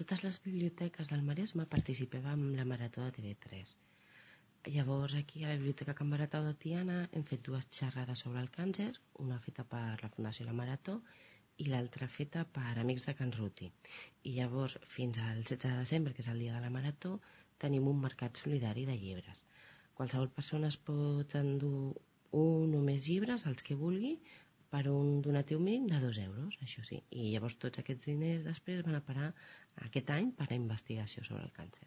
totes les biblioteques del Maresme participàvem en la Marató de TV3. Llavors, aquí a la Biblioteca Can Baratau de Tiana hem fet 2 xerrades sobre el càncer, una feta per la Fundació La Marató i l'altra feta per Amics de Can Ruti. I llavors, fins al 16 de desembre, que és el dia de la Marató, tenim un mercat solidari de llibres. Qualsevol persona es pot endur un o més llibres, els que vulgui, per un donatiu mínim de 2 euros, això sí. I llavors tots aquests diners després van a parar aquest any per a investigació sobre el càncer.